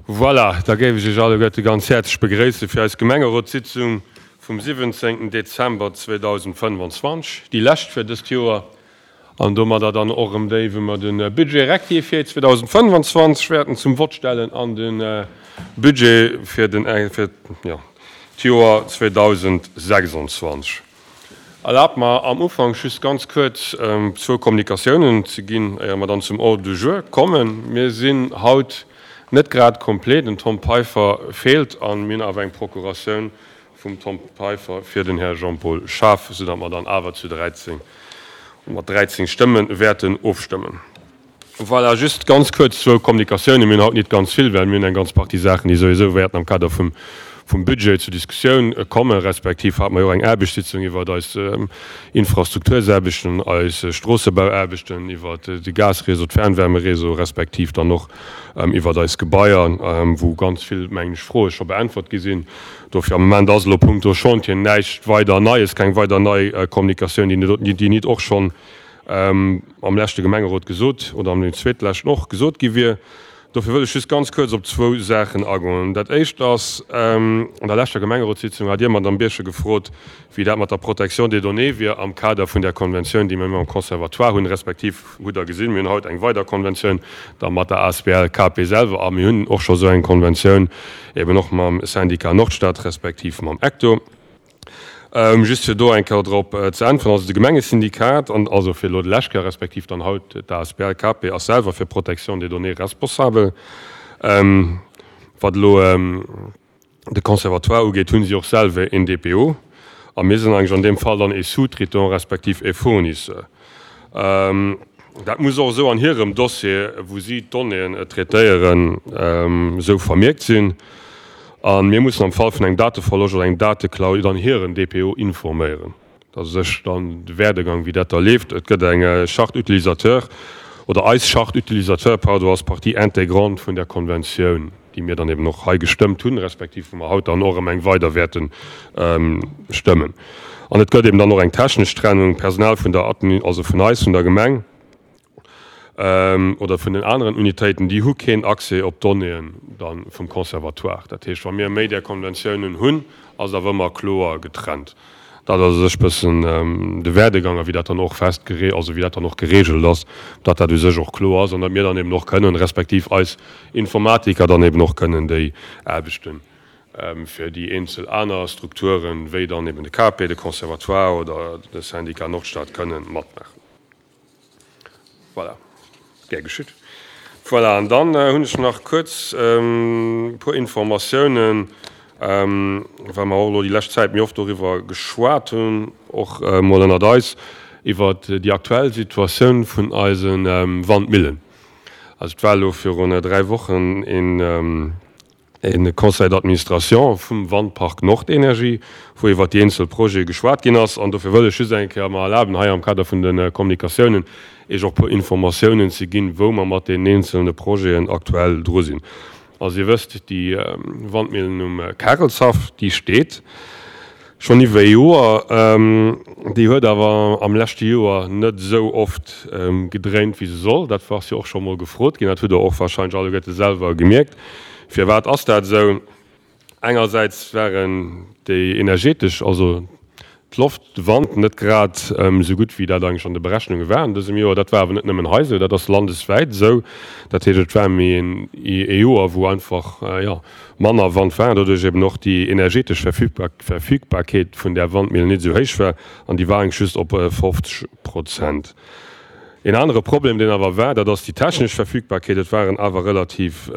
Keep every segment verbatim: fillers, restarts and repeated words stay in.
Voilà, da géif ech Iech alleguerte ganz häerzlech begréisse fir eis Gemengerotssitzung vum siwwenzéngten Dezember zweedausendfënnefanzwanzeg, déi lescht fir dëst Joer an domadder dann och erëm déi, wou mer de Budget rectifié zweedausendfënnefanzwanzeg wäerten zum Vott stellen an de Budget fir den, fir, jo, d'Joer zweedausendsechsundzwanzeg. Erlaabt mer am Ufank just ganz kuerz zwou Kommunikatiounen ze ginn, éier mer dann zum Ordre du jour kommen. Mir sinn haut net grad complet, den Tom Peiffer feelt a mir hunn awer eng Procuratioun vum Tom Peiffer fir den Här Jean-Paul Schaaf, soudatt mer dann awer zu dräizéng, mat dräizéng Stëmme wäerten ofstëmmen. Voilà, just ganz kuerz zwou Kommunikatiounen. Mir hunn haut nit ganz vill, well mir hunn eng ganz Partie Saachen, déi souwisou wäerten am Kader vum, vum Budget zur Diskussioun kommen, respektiv hate mer jo och eng Aarbechtssitzung iwwert eis Infrastruktursaarbechten, eis Stroossebauaarbechten, iwwert de Gasréseau, d'Fernwärmeréseau, respektiv dann och iwwert eis Gebaier, wou ganz vill, mengen ech, Froe scho beäntwert gi sinn. Dofir am Moment ass elo punkto Chantier näischt weider Neies, keng weider nei Kommunikatioun, déi nit och schonn am leschte Gemengerot gesot oder am zweetleschten och gesot gi wier. Dofir wëll ech just ganz kuerz op zwou Saachen agoen. Dat Éischt ass, an der leschter Gemengerotssitzung hat Dir, Madamm Birchen, gefrot, wéi dat mat der Protection des données wier am Kader vun där Konventioun, déi mir mam Conservatoire hunn, respektiv hutt Der gesinn, mir hunn haut eng weider Konventioun da mat der asbl K P selwer a mir hunn och scho sou eng Konventioun eben och mam Syndicat Nordstad respektiv mam ECTO. Just fir do eng Kéier drop ze äntweren, also de Gemengesyndikat, an also fir elo de lescht Kéier, respektiv dann haut d'A S B L K P ass selwer fir d'Protection des données responsabel. Wat elo de Conservatoire ugeet, hu si och selwer een D P O a mir sinn eigentlech an deem Fall dann ee Sous-traitant respektiv ee Fournisseur. Dat muss och esou an hirem Dossier, wou si d'Donnéeën traitéieren, esou vermierkt sinn. A mir mussen am Fall vun engem Dateverloscht oder engem Dateklau dann hiren D P O informéieren. Dat ass u sech dann de Werdegang, wéi dat da leeft. Et gëtt eng Charte utilisateur, oder eis Charte utilisateur, pardon, ass Partie intégrante vun der Konventioun, déi mir dann eben och hei gestëmmt hunn, respektiv wou mer haut dann och erëm eng weider wäerte stëmmen. An et gëtt eben dann och eng technesch Trennung, Personal vun der Admin, also vun eis, vun der Gemeng, oder vun den aneren Unitéiten, déi hu keen Accès op d'Donnéeën da vum Conservatoire. Dat heescht, wa mir méi där Konventiounen hunn, ass et awer ëmmer kloer getrennt. Dat ass u sech bëssen de Werdegang a wéi dat dann och festgere, also wéi dat dann och geregelt ass, datt dat u sech och kloer ass an datt mir dann eben och kënnen, respektiv eis Informatiker dann eben och kënnen déi Aarbechten fir déi eenzel aner Strukturen, wéi dann eben de K P, de Conservatoire oder de Syndicat Nordstad kënnen matmaachen. Voilà. Gär geschitt. Voilà, an dann hunn ech nach kuerz e puer Informatiounen, well mer och elo déi lescht Zäit méi oft doriwwer geschwat hunn, och emol ënnert eis, iwwert déi aktuell Situatioun vun eise Wandmillen. Also et war elo virun dräi Wochen een e Conseil d'administration vum Wandpark Nordenergie, wou iwwert déi eenzel Projete geschwat ginn ass. An dofir wëll ech just eng Kéier mer erlaben, hei am Kader vun de Kommunikatiounen Iech och e puer Informatiounen ze ginn, wou mer mat deenen eenzelne Projeten aktuell dru sinn. Also Dir wësst, déi Wandmillen um Karelshaff, déi steet schonn iwwer e Joer. Déi huet awer am leschte Joer net esou oft gedréint, wéi se soll. Dat ass jo och scho mol gefrot ginn. Dat hutt Der och wahrscheinlech alleguerte selwer gemierkt. Firwat ass dat esou? Engersäits waren déi energetesch, also d'Loft, de Wand net grad esou gutt, wéi dat eigentlech an de Berechnunge war an dësem Joer. Dat war awer net nëmmen hei esou, dat ass landeswäit esou. Dat heescht, et war méi ee Joer, wou einfach, jo, manner Wand war an doduerch eben och déi energetesch Verfügbarkeet vun där Wandmillen net esou héich war an déi war eigentlech just op fofzeg Prozent. Een anere Problem, deen awer war, dat ass déi technesch Verfügbarkeet. Et waren awer relativ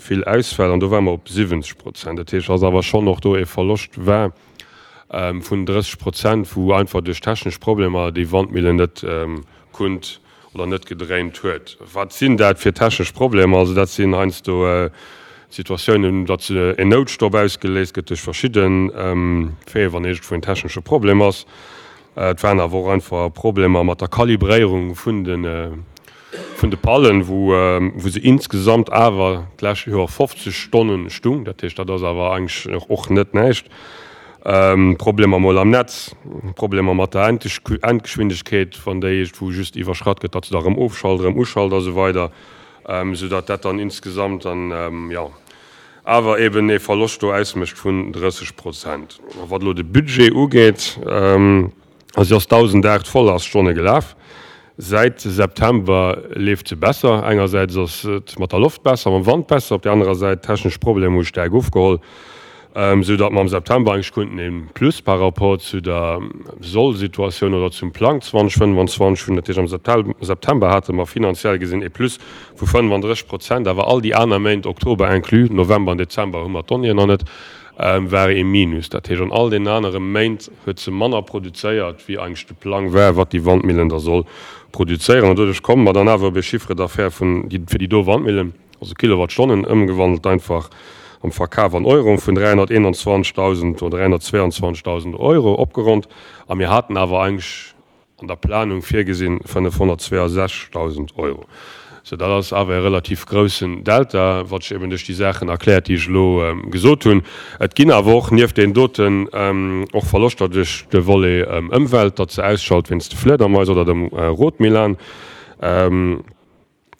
vill Ausfäll an do ware mer op siwwenzeg Prozent. Dat heescht, dass awer schonn och do ee Verloscht war vun drësseg Prozent, wou einfach duerch technesch Problemer déi Wandmillen net kunnt oder net gedréint huet. Wat sinn dat fir technesch Problemer? Also dat sinn heiansdo Situatiounen, datt en Noutstopp ausgeléist gëtt duerch verschidde Faiten, wann iergendwou en technesche Problem ass. Et waren awer och einfach Problemer mat der Kalibréierung vun de vun de Pallen, wou wou se insgesamt awer d'lescht Joer fofzeg Stonnen stung. Dat heescht, dat ass awer eigentlech och net näischt. Problemer mol am Netz, Problemer mat der Endgeschwindegkeet, wann déi iergendwou just iwwerschratt gëtt, datt se da erëm ofschalt, erëm uschalt a sou weider, soudatt dat dann insgesamt dann, jo, awer eben ee Verloscht do ausmécht vun drësseg Prozent. A wat elo de Budget ugeet, also si ass dausendaacht Vollaststonne gelaf. Säit September leeft se besser. Engersäits ass et mat der Loft besser, mam Wand besser, op där anerer Säit d'technesch Problemer hu staark ofgeholl, sou datt mer am September eigentlech konnten e Plus par rapport zu der Soll-Situatioun oder zum Plang zweitausendfënnefanzwanzeg hunn. Dat heescht, am September hate mer finanziell gesinn e Plus vu fënnefandrësseg Prozent, awer all déi aner Méint, Oktober inclus, November an Dezember hu mer d'Donnéeën nach net, war e Minus. Dat heescht, an all deenen anere Méint huet se manner produzéiert, wéi eigentlech de Plang war, wat déi Wandmillen da soll produzéieren. An doduerch komme mer dann awer op e Chiffre d'affaires vun, fir déi do Wandmillen, also Kilowattstonnen ëmgewandelt einfach am Verkaf an Euro, vun dräihonnerteenanzwanzegdausend oder dräihonnertzweianzwanzegdausend Euro opgeronnt. A mir haten awer eigentlech an der Planung virgesinn fënnefhonnertzweiasechzegdausend Euro. Sou, dat ass awer e relativ groussen Delta, wat sech eben duerch déi Saachen erkläert, déi ech elo gesot hunn. Et ginn awer och nieft deenen doten och Verloschter duerch de Volet Ëmwelt, datt se ausschalt wéinst de Fliedermais oder dem Rotmilan,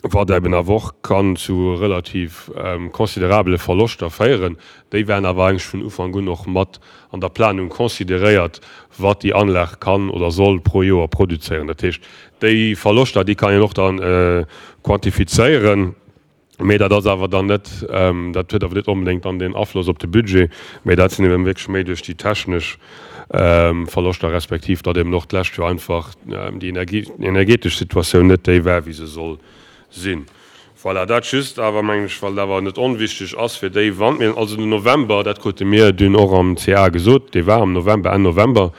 wat eben awer och kann zu relativ considerabele Verloschter féieren. Déi waren awer eigentlech vun Ufank un och mat an der Planung consideréiert, wat déi Anlag kann oder soll pro Joer produzéieren. Dat heescht, déi Verloschter, déi kann een och da quantifizéieren, mee dat ass awer dann net, dat huet awer net onbedéngt dann deen Afloss op de Budget, mee dat sinn eben wierklech méi duerch déi technesch Verloschter respektiv datt eben och d'lescht Joer einfach déi energetesch Situatioun net déi war, wéi se soll sinn. Voilà, dat just awer, mengen ech, well et awer net onwichtig ass fir déi Wandmillen. Also den November, dat krute mir dunn och am C A gesot, dee war am November, Enn November,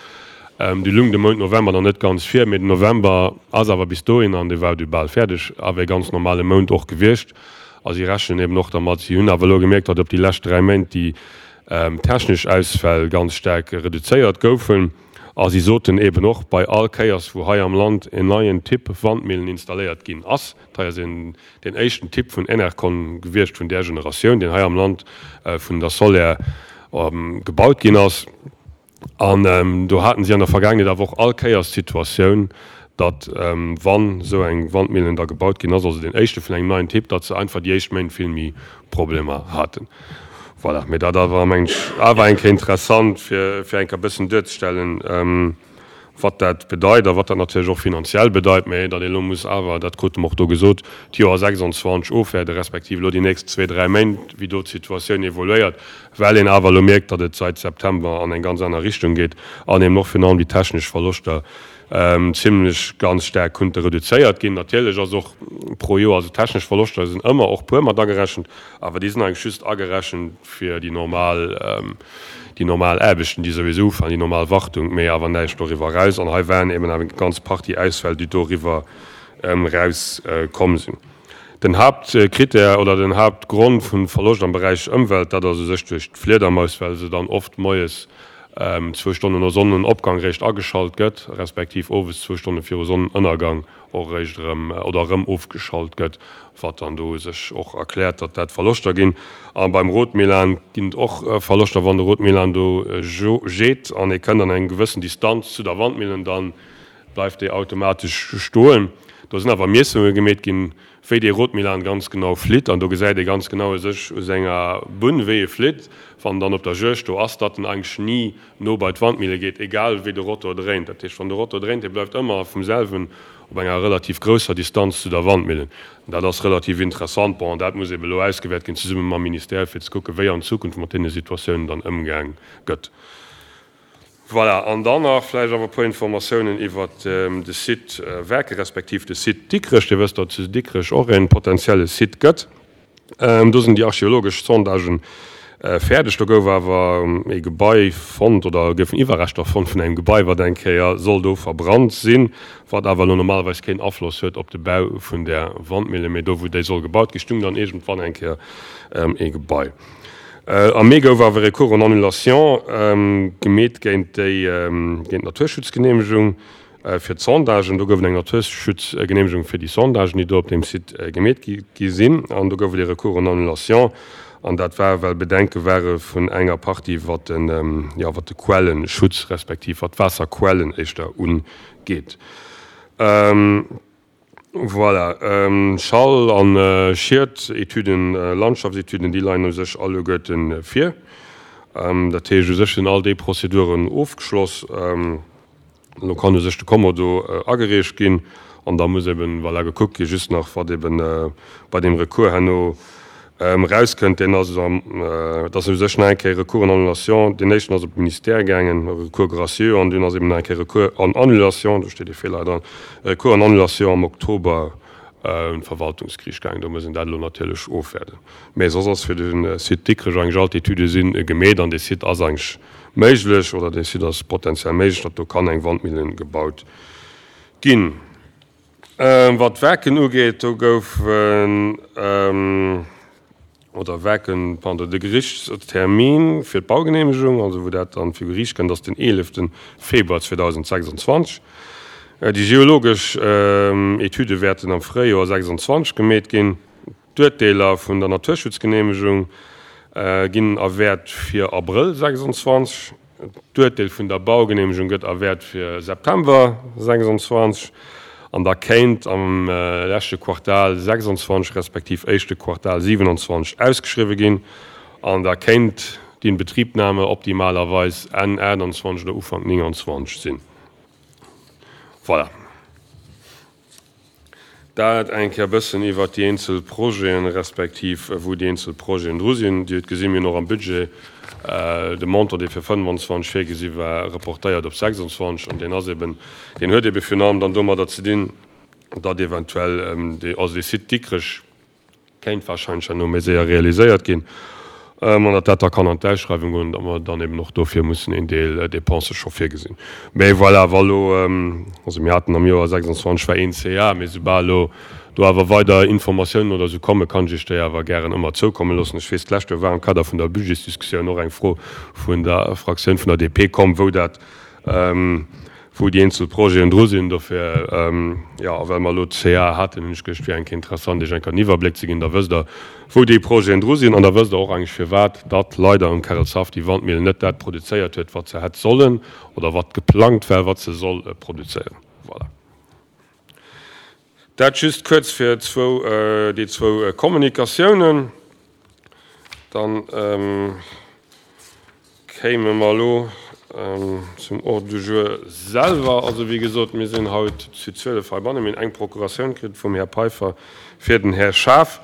du lung de Mount November nach net ganz vir, mee den November ass awer bis dohin, an dee war du bal fäerdeg, awer e ganz normale Mount och gewiescht. A si rechnen eben och dermat. Si hunn awer elo gemierkt, datt op déi lescht dräi Méint déi technesch Ausfäll ganz staark reduzéiert goufen. A si soten eben och, bei all Kéiers, wou hei am Land en neien Typ Wandmillen installéiert ginn ass, dat hei ass een deen éischten Typ vun Enercon gewiescht vun där Generatioun, deen hei am Land vun der Soler gebaut ginn ass, an do haten si an der Vergaangenheet awer och all Kéiers d'Situatioun, datt wann esou eng Wandmillen da gebaut ginn ass, also deen éischte vun engem neien Typ, datt se einfach déi éischt Méint vill méi Problemer haten. Voilà, mee dat awer, mengen ech, awer eng Kéier interessant, fir, fir eng Kéier e bëssen duerzestellen, wat dat bedeit a wat dat natierlech och finanziell bedeit. Mee datt ee elo muss awer, dat krute mer och do gesot, d'Joer sechsundzwanzeg ofwäerden, respektiv elo déi nächst zwee, dräi Méint, wéi do d'Situatioun evoluéiert, well een awer elo mierkt, datt et sait September an eng ganz aner Richtung geet an eben och virun allem déi technesch Verloschter zimlech ganz staark kunnte reduzéiert ginn. Natierlech ass och pro Joer, also technesch Verloschter sinn ëmmer och puer mat agerechent, awer déi sinn eigentlech just agerechent fir déi normal, déi normal Aarbechten, déi souwisou ufalen, déi normal Wartung, mee awer näischt doriwwer eraus. An hei waren eben awer eng ganz Partie Ausfäll, déi doriwwer eraus komm sinn. Den Haaptkrittär oder den Haaptgrond vum Verloscht am Beräich Ëmwelt, dat ass u sech duerch d'Fliedermaus, well se dann oft moies zwou Stonnen no Sonnenopgang réischt ageschalt gëtt, respektiv owes zwou Stonne viru Sonnenënnergang och réischt erëm oder erëm ofgeschalt gëtt, wat dann do u sech och erkläert, datt dat Verloschter ginn. A beim Rotmilan ginn et och Verloschter, wann de Rotmilan do jeet an e kënnt an eng gewëssen Distanz zu der Wandmillen, da bleift déi automatesch stoen. Do sinn awer Miessunge gemeet ginn, wéi dee Rotmilan ganz genau flitt, an do gesäit ee ganz genau u sech u senger Bunn, wéi e flitt, wann en dann op der Juegd do ass, datt en eigentlech ni no bei d'Wandmille geet, egal wéi de Rotor dréint. Dat heescht, wann de Rotor dréint, dee bleift ëmmer vum selwen op enger relativ grousser Distanz zu der Wandmillen. Dat ass relativ interessant. Bon, dat muss ebe elo ausgewäert ginn, zesumme mam Ministère, fir ze kucken, wéi an Zukunft mat deene Situatiounen dann ëmgaang gëtt. Voilà, an dann nach vläicht awer e puer Informatiounen iwwert de Site Werke respektiv de Site Dikrech. Dir wësst, datt et zu Dikrech och e potenzielle Site gëtt. Do sinn déi archeologesch Sondagen fäerdeg. Do gouf awer e Gebai fonnt oder goufen Iwwerreschter fonnt vun engem Gebai, wat eng Kéier soll do verbrannt sinn, wat awer elo normalerweis keen Afloss huet op de Bau vun där Wandmille. Mee do, wou déi soll gebaut ginn, stung dann iergendwann eng Kéier e Gebai. Am Mee gouf awer Recours en annulation gemeet géint déi géint d'Naturschutzgeneemegung fir d'Sondagen. Do gouf et eng Naturschutzgeneemegung fir déi Sondagen, déi do op deem Site gemeet gi sinn. An do gouf et ee Recours en annulation. An dat war, well Bedenke ware vun enger Partie, wat de, jo, wat de Quellenschutz respektiv wat d'Waasserquellen éischter ugeet. Voilà, Schall an Schied-Etüden, Landschaftsetüden, déi leien u sech alleguerten vir. Dat heescht, u sech sinn all déi Prozeduren ofgeschloss. Elo kann u sech de Kommodo agereecht ginn an da muss eben, voilà, gekuckt gi just nach, wat eben bei deem Recours herno erauskënnt. Deen ass am, et ass u sech nach eng Kéier Recours en annulation. Deen éischten ass op de Ministère gaangen, Recours gracieux, an dunn ass eben nach eng Kéier Recours en annulation, do steet e Feeler dran, Recours en annulation am Oktober un d'Verwaltungsgeriicht gaangen. Do muss een dat elo natierlech ofwäerden. Mä soss ass fir de Site Dikrech eigentlech all d'Etüde si gemeet an dee Site ass eigentlech méiglech oder dee Site ass potenziell méiglech, datt do kann eng Wandmillen gebaut ginn. Wat d'Werken ugeet, do goufen, oder Werken, pardon, de Gerichtstermin fir d'Baugeneemegung, also wou dat dann vir Geriicht kënnt, ass den eelefte Februar zweedausendsechsundzwanzeg. Déi geologesch Etüde wäerten am Fréijoer sechsundzwanzeg gemeet ginn. D'Urteeler vun der Naturschutzgeneemegung ginn erwäert fir Abrëll sechsundzwanzeg. D'Urteel vun der Baugeneemegung gëtt erwäert fir September sechsundzwanzeg. An da kéint am leschte Quartal sechsundzwanzeg respektiv éischte Quartal siewenundzwanzeg ausgeschriwwe ginn. An da kéint d'Inbetriebnahme optimalerweis Enn achtundzwanzeg oder Ufank neunundzwanzeg sinn. Voilà. Dat eng Kéier e bëssen iwwert déi eenzel Projeten, respektiv wou déi eenzel Projeten dru sinn. Dir hutt gesinn, mir hunn och am Budget de Montant, dee fir fënnefanzwanzeg virgesi war, reportéiert op sechsundzwanzeg. An deen ass eben, deen huet ebe virun allem dann domadder ze dinn, datt eventuell dee, also dee Site Dikrech kéint wahrscheinlech herno méi séier realiséiert ginn an datt dat da kann an d'Ausschreiwung goen, datt mer dann eben och dofir mussen een Deel Dépense scho virgesinn. Mä voilà, wa lo, also mir haten am Joer sechsundzwanzeg war een C A, mee soubal elo do awer weider Informatiounen oder esou kommen, kann ech Iech déi awer gären ëmmer zoukomme loossen. Ech weess, d'lescht Joer war am Kader vun der Budgetsdiskussioun och eng Fro vun der Fraktioun vun der D P komm, wou dat, wou déi eenzel Projeten dru sinn. Dofir, jo, a well mer elo d'C A haten, hunn ech geduecht, et wier eng Kéier interessant, Iech eng Kéier en Iwwerbléck ze ginn. Da wësst Der, wou déi Projeten dru sinn an da wësst Der och eigentlech, firwat datt leider um Kärelshaff déi Wandmillen net dat produzéiert huet, wat se hätt sollen oder wat geplangt war, wat se soll produzéieren. Voilà. Dat just kuerz fir zwou, déi zwou Kommunikatiounen. Dann kéime mer elo zum Ordre du jour selwer. Also wéi gesot, mir sinn haut zu zwielef heibannen. Mir hunn eng Procuratioun kritt vum Här Peiffer fir den Här Schaaf.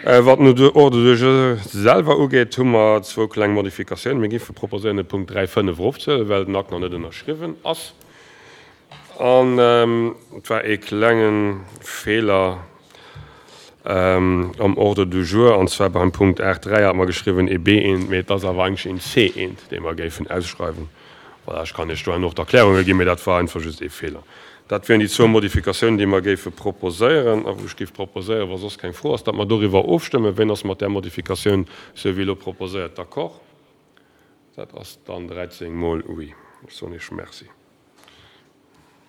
Wat den Ordre du jour selwer ugeet, hu mer zwou kleng Modifikatiounen. Mir géife proposéieren, de Punkt dräi fënnef erofzehuelen, well den Akt nach net ënnerschriwwen ass. An et war ee klenge Feeler am Ordre du jour, an zwar beim Punkt aacht dräi hat mer geschriwwen ee B eent, mee et ass awer eigentlech een C eent, dee mer géifen ausschreiwen. Voilà, ech kann Iech do herno och d'Erklärunge ginn, mee dat war einfach just ee Feeler. Dat wieren déi zwou Modifikatiounen, déi mer géife proposéieren a wou ech géif proposéieren, wa soss keng Fro ass, datt mer doriwwer ofstëmmen. Wien ass mat där Modifikatioun, sou wéi elo proposéiert, d'accord? Dat ass dann dräizéng mol oui. Ech soen Iech Merci.